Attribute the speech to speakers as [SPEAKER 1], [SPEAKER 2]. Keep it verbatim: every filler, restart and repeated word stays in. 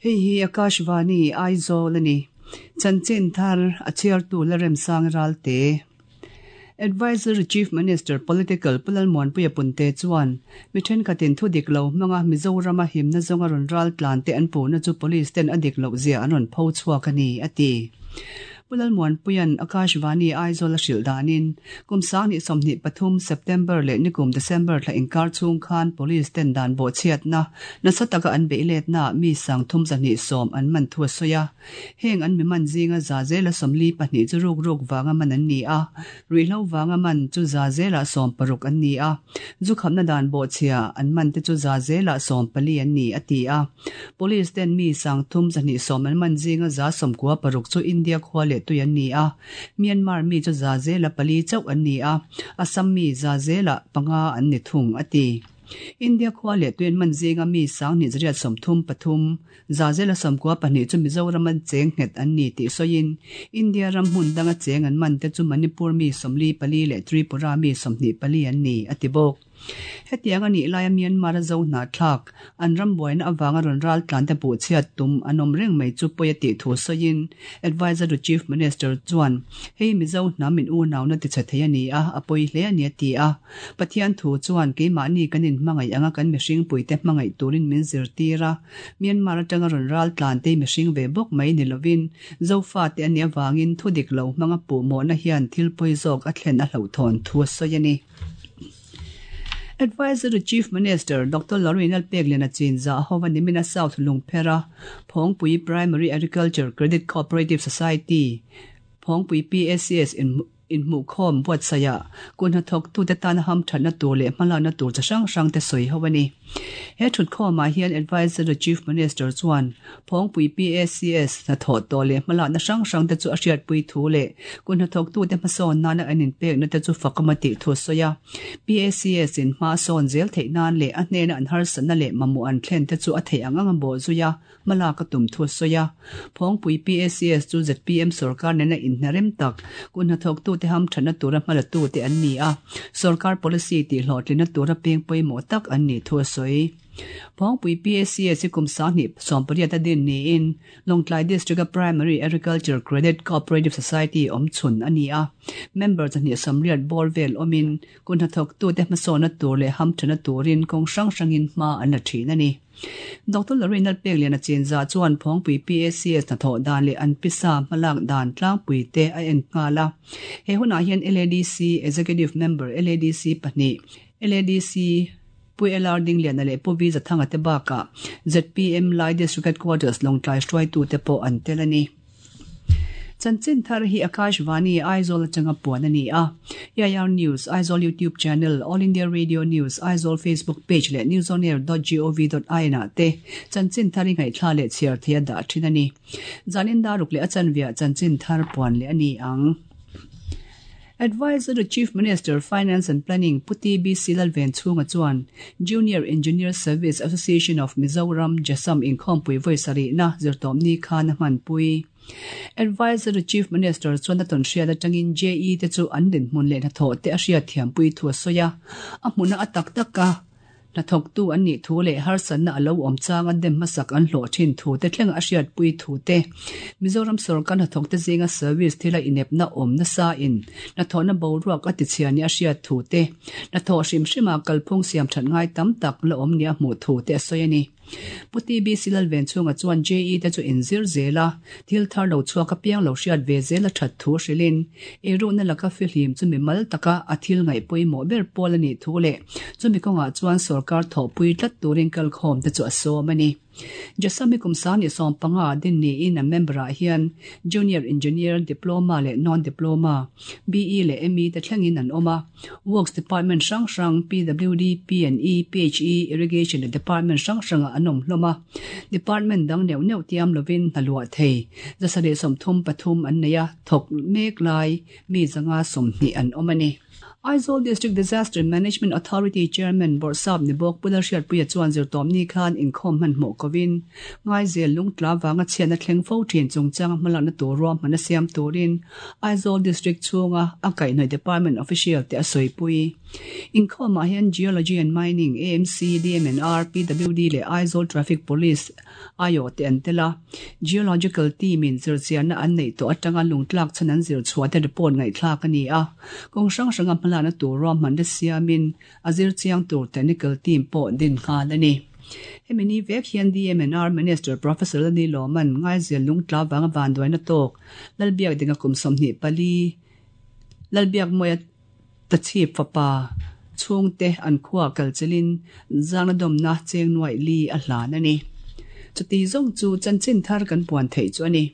[SPEAKER 1] Hei hi Akashvani Aizawl ani. Chanchin thar a chhiartu Lalremsang Ralte. Adviser to Chief Minister Political Pu Lalmuanpuia Punte chuan mi thenkhatin thu dik lo hmanga Mizorama himna zawnga rawn ral tlan te an puhna chu police ten a dik loh zia an rawn pho chhuak a ni, a ti. Pu Lalmuanpuia'n Akashvani Aizawl a hrilh danin kum sanghnih sawmhnih pathum September leh nikum December thla inkar chhung khan police ten dan bawhchhiatna nasa taka an beih letnaah mi sang thum zahnih sawm an man thu a sawi a. Heng an mi man zinga za zela sawmli pahnih chu ruk ruk vanga man an ni a, ruihhlo vanga man chu za zela sawm paruk an ni a, zu khamna dan bawhchhia an man te chu za zela sawm pali an ni, a ti a. Police ten mi sang thum zahnih sawm an man zinga za sawmkua paruk chu India khua leh tui an ni a, Myanmar mi chu za zela pali chauh an ni a, Assam mi za zela panga an ni thung, a ti. India khua leh tui an man zinga mi sanghnih zariat sawmthum pathum, za zela sawmkua pahnih chu Mizoram an cheng nghet an ni tih sawiin India ram hmun danga cheng an man te chu Manipur mi sawmli pali leh Tripura mi sawmhnih pali an ni, a ti bawk. Hetiang a nih laia Myanmar a zo hnahthlak, an ram buaina avanga rawn ral tlan te buh chhiat tum an awm reng mai chu pawi a tih thu sawiin Adviser to Chief Minister chuan hei Mizo hnam in unauna ti chhe thei a ni a, a pawi hle a ni a ti a. Pathian thu chuan keimahni kan inhmangaih anga kan mihring puite hmangaih turin min zirtir a, Myanmar atanga rawn ral tlan te mihring ve bawk mai ni lovin Zofa te a nih avangin thu dik lo hmanga puhmawhna hian thil pawi zawk a thlen a hlauhthawn thu a sawi a ni. Adviser to Chief Minister Doctor Lorraine Peklian a chinzah hova nimina South Lungphera Phawngpui Primary Agriculture Credit Cooperative Society Phawngpui P A C S in inhmuhkhawm buatsaihah kun hnathawktute tana hamthatna tur leh hmalakna tur chi hrang hrang te sawi ho a ni. He thutkhawmah hian Adviser to Chief Minister chuan Phawngpui P A C S hnathawh tawh leh hmalakna hrang hrang te chu a hriatpui thu leh kun hnathawktute hmasawn nana an inpekna te chu fakawm a tih thu a sawi a. P A C S in hma sawn zel theih nan leh a hnena an harsatna leh mamawh an thlen te chu a theih ang ang a bawh zui a, hmalak a tum thu a sawi a. Phawngpui P A C S chu Z P M sorkar nena inhna rem tak kun hnathawktute hamthatna tura hmalatute an ni a, sorkar policy tih hlawhtlinna tura peng pawimawh tak an nih thu a sawi. Phawngpui P A C S hi kum sanghnih sawmpariat a din niin Lawngtlai District-a Primary Agriculture Credit Cooperative Society awm chhun a ni a. Member chahnih sawmriat bawr vel awmin kun hnathawktute hmasawnna tur leh hamthatna turin kawng hrang hrangin hma an la thin a ni. Doctor Lorraine Lalpeklian a chinzah chuan Phawngpui P A C S hnathawh dan leh an pisa hmalak dan tlangpui te a en nghal a. He hunah hian L A D C Executive Member L A D C pahnih, L A D C Pu L R Dingliana leh Pu V Zathanga te bakah Z P M Lai District Headquarters Lawngtlai hruaitute pawh an tel a ni. Chanchin thar hi Akashvani Aizawl atanga puan a ni a. E I R News, Aizawl YouTube Channel, All India Radio News, Aizawl Facebook Page leh newsonair dot gov dot in ah te chanchin thar hi ngaihthla leh chhiar thei a dah thin a ni. Zanin daruk leh a chanviah chanchin thar puan leh a ni ang. Adviser to Chief Minister Finance and Planning Pu T B C Lalvenchhunga chuan Junior Engineer Service Association of Mizoram Jasam inkhawmpui vawi sarihna zirtawmni khan a hmanpui. Adviser to Chief Minister chuan a tawn hriat atangin J E te chu an dinhmun leh hnathawh te a hriat thiampui thu a sawi a, a hmuna a tak tak a hnathawktu an nih thu leh harsatna a lo awm chang a dem hmasak an hlawh thin thu te thleng a hriatpui thu te Mizoram sorkar hnathawk te zinga service thila inepna awm nasa in hnathawhna boruak a tichhia ni a hriat thu te hnathawh hrim hrima kalphung siam that ngai tam tak la awm ni a hmuh thu te a sawi a ni. Pu T B C Lalvenchhunga chuan J E te chu inzir zel a, thil thar lo chhuak a piang lo hriat ve zel a that thu hrilhin eiruhna laka fihlim chu mi mal taka a thil ngaih pawimawh ber pawl a nih thu leh chumi kawngah chuan sorkar thawhpui tlat turin kalkhawm te chu a sawm a ni. Jasami kum sanghnih sawm panga din niin a member-ah hian Junior Engineer, Diploma leh Non-Diploma, B E leh M E te thlengin an awm a. Works Department hrang hrang, P W D, P and E, P H E, Irrigation leh Department hrang hrangah an awm hlawm a. Department dang neuh neuh tiam lovin hna luah thei zasarih sawmthum pathum an nei a, thawk mek lai mi zanga sawmhnih an awm a ni. Aizawl District Disaster Management Authority Chairman Bawrhsap ni bawk Pu Lalhriatpuia chuan zirtawpni khan inkhawm hmanhmawh kovin Ngaizel lungtla vanga chhiatna thleng fo thin chungchanga hmalakna tur ruahman a siam turin Aizawl District chhunga a kaihhnawih Department official te a sawipui. Inkhawmah hian Geology and Mining, AMC, DMNR, PWD leh Aizawl Traffic Police aiawh te an tel a. Geological team in zirchianna an neih tawh atanga lungtlak chhan an zir chhuah te report ngaihthlak a ni a. Kawng hrang hranga hmalakna tur ruahman te siamin a zir chiang tur technical team pawh din nghal a ni. Hemi ni vek hian DMNR Minister Professor Lani Lawman Ngaizel lungtla vanga vanduaina tawk Lalbiak dinga kum sawmhnih pali Lalbiak mawia tachhip fapa chhungte an khua kalchelin zangna dawmna cheng nuaih li a hlan a ni. Chuti zawng chu chanchin thar kan puan theih chu a ni.